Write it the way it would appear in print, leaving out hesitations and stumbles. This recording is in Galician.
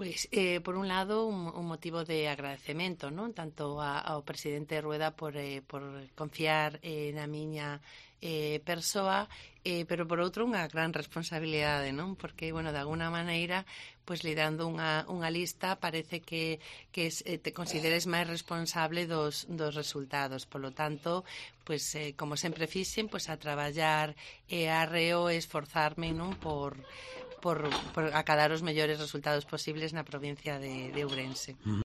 Pois, por un lado, un motivo de agradecemento, non? Tanto ao presidente Rueda por confiar na miña persoa, pero por outro unha gran responsabilidade, non? Porque, bueno, de alguna maneira, pois liderando unha lista parece que te consideres máis responsable dos resultados. Polo tanto, pois, como sempre fixen, pois a traballar arreo e esforzarme, non? Por acadar os mellores resultados posibles na provincia de Ourense.